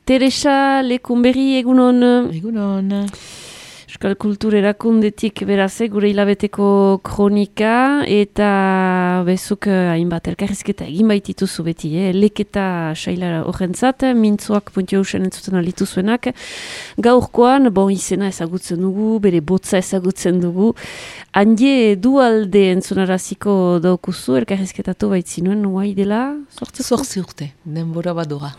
Teresa Lekunberri, egunon. Egunon. Euskal Kultur Erakundetik beraz, gure hilabeteko kronika, eta bezuk hainbat elkarrizketa egin baitituzu beti, leketa saila horrentzat, mintzoak puntio usen entzuten alitu zuenak. Gaurkoan, izena ezagutzen dugu, bere botza ezagutzen dugu. Handie dualde entzunaraziko daukuzu, elkarrizketatu baitzinuen, guai dela? Zortzi urte, denbora badora.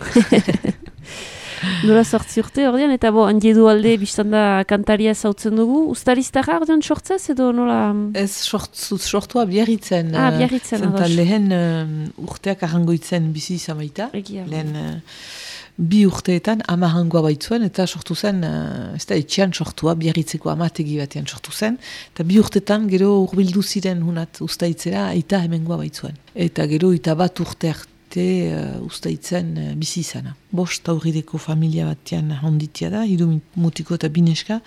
Nola 8 urte ordean, eta handie dualde biztanda kantaria zautzen dugu. Uztariztara ordean sortzez edo nola? Ez sortua Biarritzen. Biarritzen, ados. Lehen urteak arrangoitzen bizi izan baita. Lehen 2 urteetan 10 hangoa baitzuen, eta sortu zen, ez da etxean sortua, Biarritzeko amategi batean sortu zen, eta 2 urteetan gero urbildu ziren hunat ustaitzera, aita hemengoa baitzuen. Eta gero 1 urte ustaitzen bizi izana. 5 aurrideko familia batean honditia da, 3 mutiko eta 2 neska.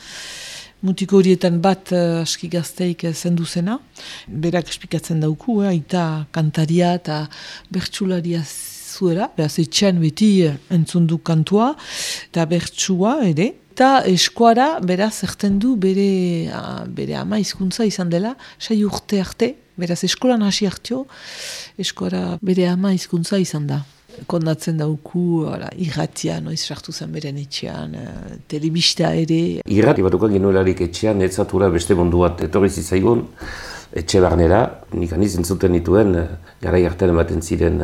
Mutiko horietan bat aski gazteik zendu zena. Berak espikatzen dauku, aita kantaria eta bertsularia zuera. Beraz, etxean beti entzundu kantua eta bertsua ere. Eta eskuara, beraz, erten du bere ama hizkuntza izan dela, 6 urte arte. Beraz, eskolan hasi hartio, eskuara bere ama hizkuntza izan da. Kondatzen dauku, irratia, noiz sartu zen beren etxean, telebista ere. Irrati batuko genuelarik etxean, etzatura beste mundu bat etorri zitzaigun, etxe barnera, nik aniz entzuten dituen, garai hartan ematen ziren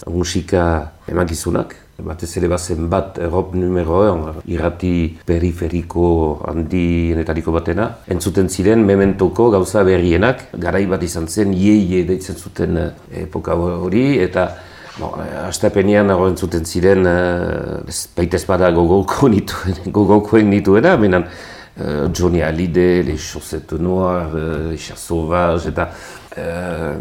musika emakizunak. Batez ere bazen bat, Erop numero 1, irrati periferiko handienetariko batena. Entzuten ziren mementoko gauza berrienak, garai bat izan zen, ie deitzen zuten epoka hori, eta astapenean entzuten ziren, baitez bada gogokoen nituena, menan Johnny Hallyday, Les Chaussettes Noires, Les Chats Sauvages, eta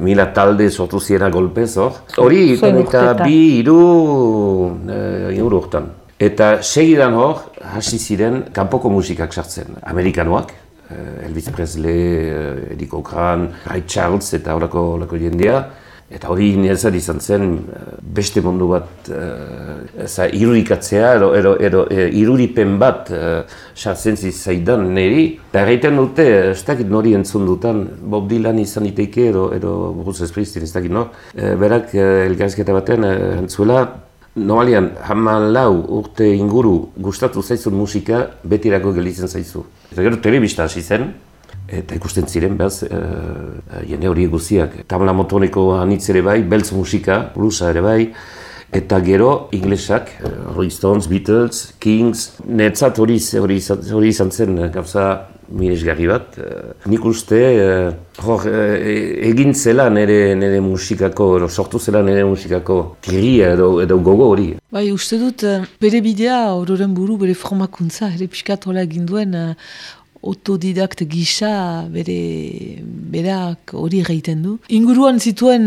mila talde sortu ziena golpez hor. Hori, eta 2-3 urtan. Eta segidan hor, hasi ziren kanpoko musikak sartzen. Amerikanoak, Elvis Presley, Eddie Cochran, Ray Charles eta horako jendea. Eta hori niretzat izan zen beste mundu bat irudikatzea, irudipen bat sartzen zaidan niri. Eta erraiten dute, ez dakit nori entzun dutan, Bob Dylan izan iteike edo Bruce Springsteen ez dakit nor. Berak elkarrizketa baten entzuela, normalian 14 urte inguru gustatu zaizun musika betirako gelditzen zaizu. Eta gero telebista hasi zen. Eta ikusten ziren, behaz, jende hori guziak. Tamla Motoneko anitz ere bai, beltz musika, bluesa ere bai, eta gero inglesak, Rolling Stones, Beatles, Kings, netzat hori izan zen gauza miresgarri bat. Nik uste, egin zela nire musikako, sortu zela nire musikako kiria edo gogo hori. Bai, uste dut, bere bidea, ororen buru, bere formakuntza, ere pixkat hola egin duen, autodidakt gisa berak hori egiten du. Inguruan zituen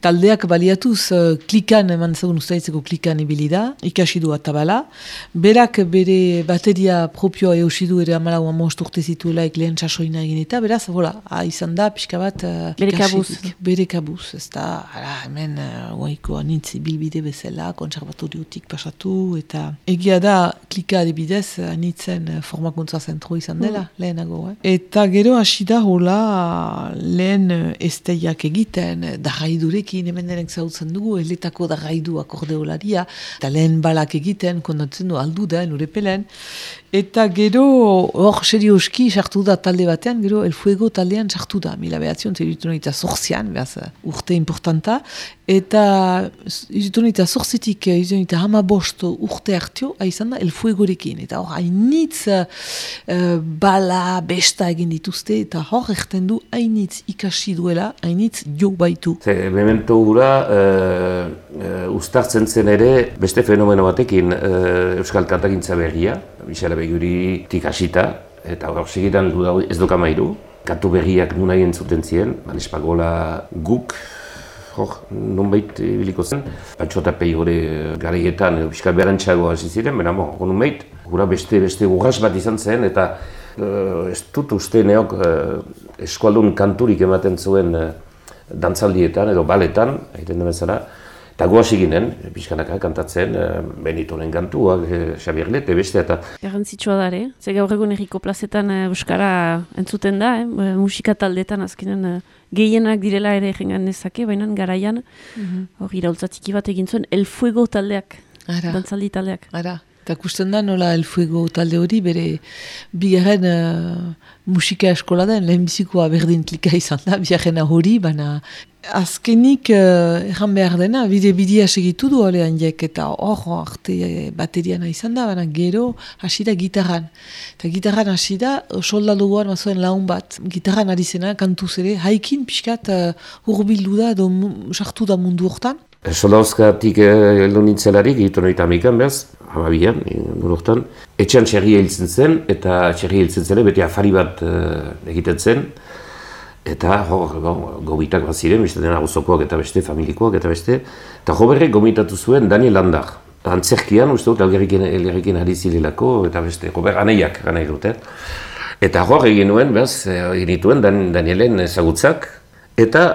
taldeak baliatuz klikan, eman zagun ustaitzeko klikan ibili da, ikasi du atabala. Berak bere bateria propioa eusidu ere 14 urte zituela lehen sasoina egin eta, beraz, izan da, pixka bat bere kabuz. Ez da, hemen guaiko anitz bilbide bezala, kontserbatoriotik pasatu, eta egia da klika adibidez anitzen formakuntza zentro izan dela, lehenago. Eta gero hasi da hola lehen esteiak egiten, darraidurekin, hemen denek zautzen dugu, eletako darraidu akordeolaria, eta lehen balak egiten, kondatzen du aldu da, urepelen. Eta gero hor serioski sartu da talde batean, gero El Fuego taldean sartu da, 1908 behaz urte importanta, eta 1908-tik 15 urte hartio, izan da El Fuegorekin, eta hor hainitz bala, besta egin dituzte, eta hor erten du hainitz ikasi duela, hainitz jo baitu. Memento gura, uztartzen zen ere, beste fenomeno batekin Euskal Kantakintza berria, Michel Abeguritik hasita, eta hor segidan ez doka mairu. Kantu berriak nunai entzuten ziren, Espagola guk, nonbait ibiliko zen. Patxo eta Pei hori garaietan, Euskal Berantxago hasi ziren, baina nonbait, gura beste urras bat izan zen, eta ez dut uste neok eskualdun kanturik ematen zuen dantzaldietan edo baletan, egiten den bezala. Eta goaz eginen, pixkanaka kantatzen, Benitoren kantuak, Xabier Lete, beste eta... Garrantzitsua da, ze gaur egun erriko plazetan euskara entzuten da, musika taldetan azkenen gehienak direla ere jengan nezake, baina garaian, hori iraultzatiki bat egin zuen, El Fuego taldeak, dantzaldi taldeak. Eta kusten da nola El Fuego talde hori bere bigarren musika eskola den, lehenbizikoa berdin klika izan da, bigarrena hori, baina azkenik erran behar dena, bidea segitu du hori handiek, eta hor arte bateriana izan da, baina gero hasi da gitarran. Eta gitarran hasi da, soldaduan mazuen laun bat, gitarran ari zena, kantuz ere, haikin pixkat hurbildu da, sartu da mundu hortan. Soldauzkatik heldu nintzelarik, egiten hori tamikan behaz, hamabian, hortan. Etxean txerria hiltzen zen, eta txerria hiltzen zen, beti afari bat egiten zen. Eta gomitak bat ziren, beste dena gozokoak eta beste, familikoak eta beste. Eta joberrek gomitatu zuen Daniel Landar. Antzerkian, uste dut, elgerrekin ari zilelako, eta beste, gober aneiak gana egiten. Eta hor egin nuen, behaz, egin dituen Danielen ezagutzak. Eta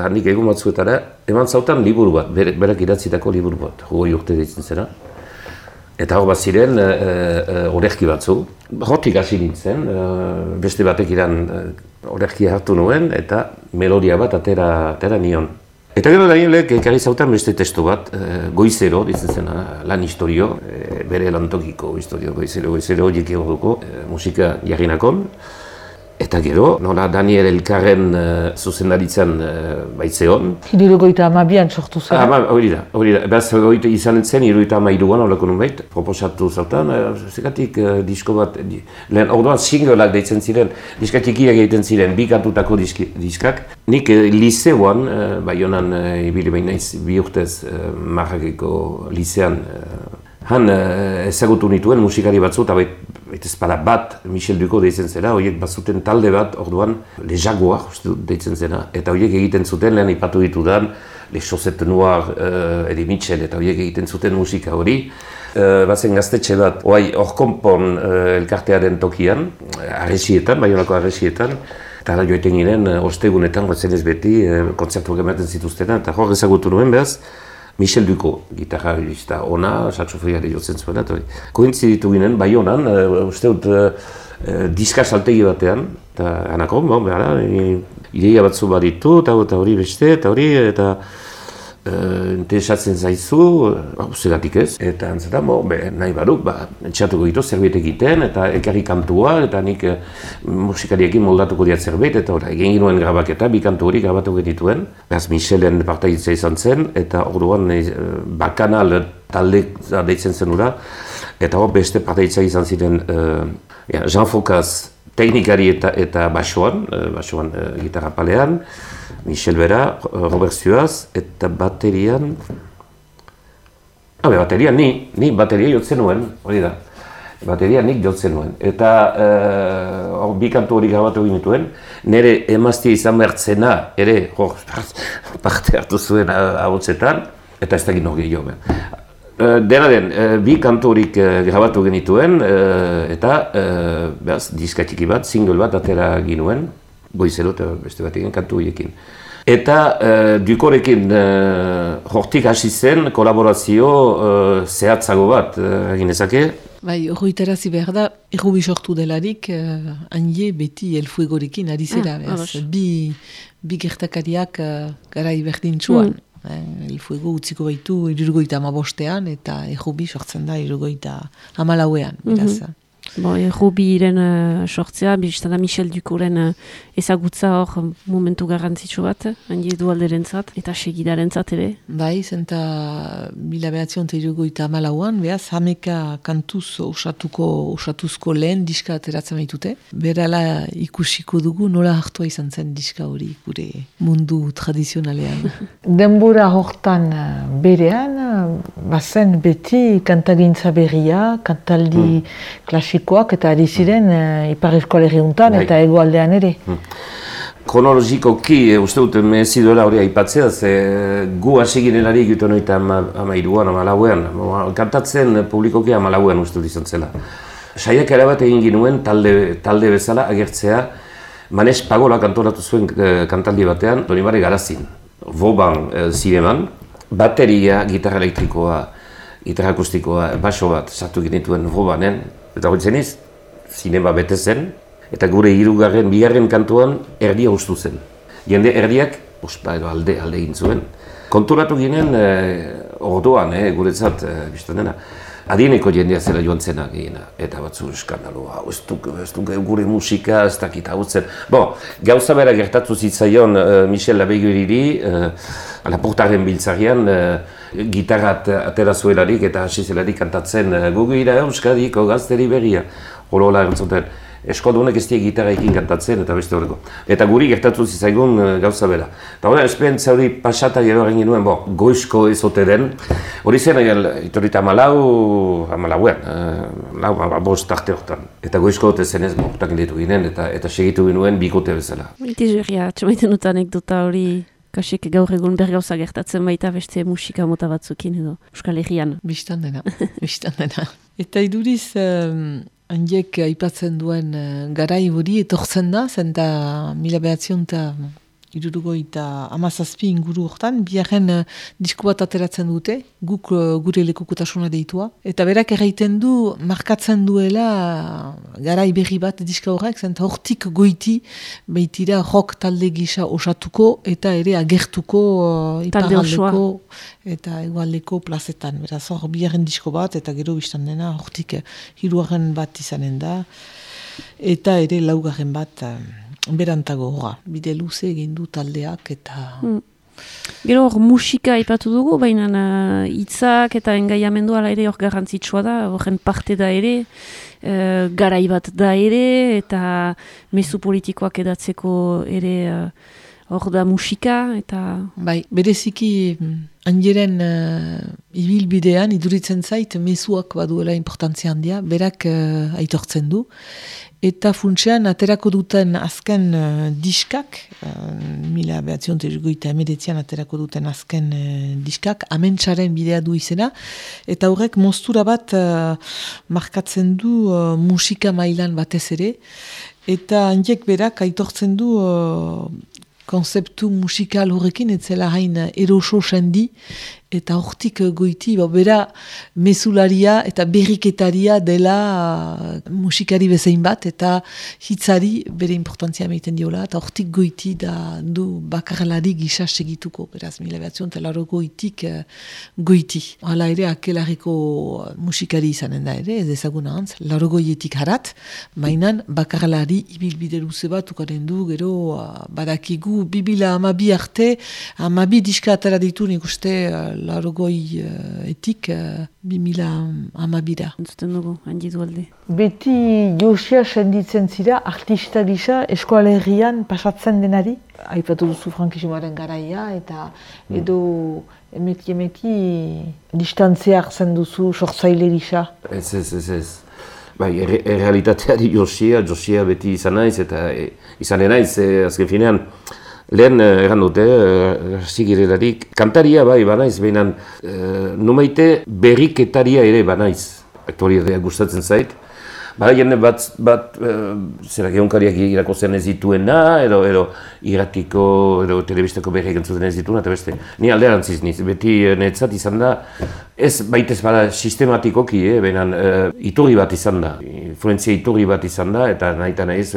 handik egun batzuetara, eman zautan liburu bat, berak idatzitako liburu bat, 20 urte deitzen zena. Eta hor bat ziren, orerki batzu. Hortik hasi nintzen, beste batek iran orerkia hartu nuen, eta melodia bat atera nion. Eta gero Danielek ekarri zautan beste testu bat, Goizero, ditzen zena, lan historio, bere lantokiko historio, Goizero, jeki horreko, musika jarrinakon. Eta gero, nola Daniel Elkarren zuzendaritzen baitzeon. 72an sortu zen. Hori da. Beraz, izan zen, 72an horreko nunbait, proposatu zautan, zekatik disko bat, lehen orduan singleak deitzen ziren, diskatikiak egiten ziren, bi kantutako diskak. Nik liceoan, Baionan ibili behin naiz, 2 urtez Marrakeko licean, han ezagutu nituen musikari batzu, eta baita ezpada bat Michel Ducot deitzen zera, horiek bazuten talde bat, orduan Le Jaguar deitzen zena, eta horiek egiten zuten, lehen ipatu ditudan, Le Chaussettes Noires, Eddie Mitchell, eta horiek egiten zuten musika hori. Bazen gaztetxe bat, hor konpon elkartearen tokian, arresietan, Baionako arresietan, eta joiten ginen, ostegunetan, gotzen ez beti, kontzertuak ematen zituztena, eta hor ezagutu nuen behaz, Michel Ducot, gitarrista ona, saxofoniari jotzen zuela. Kointziditu ginen, Baionan, uste dut diska saltegi batean, eta anakon, ideia batzu baditu, eta hori beste, eta hori, eta interesatzen zaizu, zegatik ez, eta antzata, nahi baduk, etxatuko ditu zerbait egiten, eta ekarri kantua, eta nik musikariekin moldatuko diat zerbait, eta egin ginuen grabaketa, 2 kantu hori grabatu genituen. Beraz, Michelen partaiditza izan zen, eta orduan bakanal talde deitzen zen ura, eta hor beste partaiditza izan ziren Jean Focaz teknikari eta basoan gitarra palean, Michel Bera, Robert Suaz, eta baterian... baterian ni bateria jotzen nuen, hori da. Bateria nik jotzen nuen. Eta 2 kantu hori grabatu egin dituen, nire emaztia izan bertzena, ere, parte hartu zuen ahotsetan, eta ez da gino gehiago. Dena den, 2 kantu horik grabatu genituen, eta diskatiki bat, single bat atera ginuen, Goizero eta beste bat egin kantu horiekin. Eta Ducorekin hortik hasi zen kolaborazio zehatzago bat egin ezake. Bai, hori terazi behar da, errubi sortu delarik, hanie beti El Fuegorekin ari zera, bi gertakariak garai berdintzuan. El Fuego utziko baitu 75ean eta errubi sortzen da 74ean, beraz. Errubiren sortzea, biztana Michel Ducoren ezagutza hor momentu garrantzitsu bat, handi edualderentzat eta segidarentzat ere. Bai, zenta 1974an, behaz, 11 kantuz osatuzko lehen diska ateratzen baitute. Berala ikusiko dugu nola hartua izan zen diska hori gure mundu tradizionalean. Denbora hortan berean, bazen beti kantagintza berria, kantaldi klasikoak eta ari ziren Ipar Euskal Herriuntan eta hegoaldean ere. Kronologikoki, uste dut, mezi duela hori aipatzea, ze gu hasi ginelari egiten hori 13an, 14an, kantatzen publikoki 14an uste dut izan zela. Saiak erabat egin ginuen talde bezala agertzea, Manes Pagola kantoratu zuen kantaldi batean, Donibane Garazin, Vauban zineman, bateria, gitarra elektrikoa, gitarra akustikoa, baso bat sartu genituen robanen, eta hori zeniz, zinema bete zen, eta gure bigarren kantuan erdia hustu zen. Jende erdiak, edo alde egin zuen. Konturatu ginen orduan, guretzat, biztan dena. Adieneko jendea zela joan zena gehiena, eta batzu eskandalua, ez du gure musika, ez dakit hau zen. Gauza bera gertatu zitzaion Michel Labeguriri, Laportaren biltzarian, gitarrat atera zuelarik eta hasi zelarik kantatzen gugira Euskadiko gazteri berria. Horola entzuten, eskodunek ez die gitarraekin kantatzen eta beste horreko. Eta guri gertatu zitzaigun gauza bera. Eta hori, esperientzia hori pasata gero egin genuen, goizko ezote den. Hori zen, itorita amalauen, bost arte horretan. Eta goizko hote zenez, horretak ditu ginen eta segitu genuen bikote bezala. Itizurria, txomaiten dut anekdota hori, kasik gaur egun bergauza gertatzen baita beste musika mota batzukin edo, Euskal Herrian. Bistan dena. Eta iduriz, handiek aipatzen duen garai hori etortzen da, zenta 1967 inguru hortan, biharren disko bat ateratzen dute, guk gure lekukotasuna deitua. Eta berak erraiten du, markatzen duela garai berri bat diska horrek, zenta hortik goiti baitira rock talde gisa osatuko eta ere agertuko iparaldeko eta egualdeko plazetan. Beraz hor biharren disko bat eta gero biztan dena hortik hirugarren bat izanen da eta ere laugarren bat berantago bide luze egin du taldeak eta... Gero hor musika aipatu dugu, baina hitzak eta engaiamendua ere hor garrantzitsua da, horren parte da ere, garai bat da ere, eta mezu politikoak edatzeko ere hor da musika, eta... Bai, bereziki handiren ibilbidean iduritzen zait mezuak baduela importantzia handia, berak aitortzen du, eta funtsean aterako duten azken diskak, 1989an aterako duten azken diskak, Amentsaren bidea du izena, eta horrek moztura bat markatzen du musika mailan batez ere, eta handiek berak aitortzen du konzeptu musikal horrekin, etzela hain eroso sendi, eta hortik goiti, bera mezularia eta berriketaria dela musikari bezain bat, eta hitzari bere importantzia meiten diola, eta hortik goiti da du bakarlari gisa segituko, beraz, 1980 goiti. Hala ere, akelarriko musikari izanen da ere, ez ezaguna antz, 80etik harat, mainan bakarlari ibilbide luze bat ukaren du, gero badakigu 2012 arte, 12 diska atara ditu nik uste 80etik 2012. Entzuten dugu, handi dualde. Beti Josia senditzen zira, artista gisa, Euskal Herrian pasatzen denari? Aipatu duzu frankismoaren garaia, eta edo emeti distantzia hartzen duzu sortzaile gisa? Ez. Bai, errealitateari Josia beti izan naiz, eta izan naiz, azken finean, lehen egan dute, zigirelarik, kantaria bai banaiz, behinan numaite berriketaria ere banaiz. Aktualitatea gustatzen zait. Bada jende bat zera gehunkariak irakozen ez dituena, edo irratiko, edo telebistako berriak entzuten ez dituena, eta beste. Ni alderantziz niz, beti netzat izan da, ez baitez bada sistematikoki, behinan iturri bat izan da, influenzia iturri bat izan da, eta nahi eta nahi ez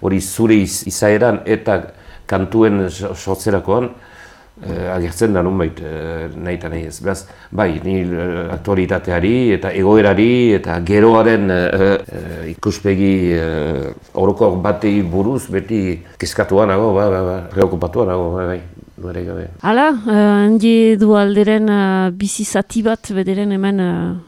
hori zure izaeran eta kantuen sortzerakoan agertzen da nunbait nahi eta nahi ez. Beraz, bai, ni aktualitateari eta egoerari eta geroaren ikuspegi orokor batei buruz beti kezkatua nago, preokupatua nago, bai. Hala, handi dualderen bizi zati bat bederen hemen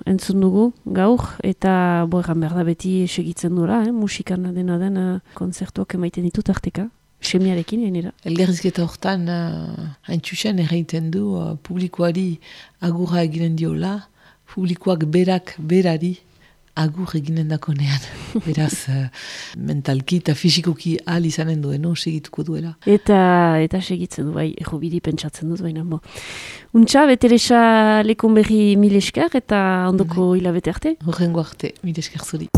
entzun dugu gaur, eta boeran behar da beti segitzen duela, musikan dena den konzertuak emaiten ditut arteka. Semiarekin, enera. Elgarrizketa hortan, haintxusen erraiten du, publikoari agurra eginen diola, publikoak berari agur eginen dakonean. Beraz, mentalki eta fisikoki ahal izanen duen, segituko duela. Eta segitzen du, bai, errobiri pentsatzen duz, baina, Untxa, Beteresa lekon berri 1000 esker, eta ondoko hilabete arte? Horrengo arte, 1000 esker zuri.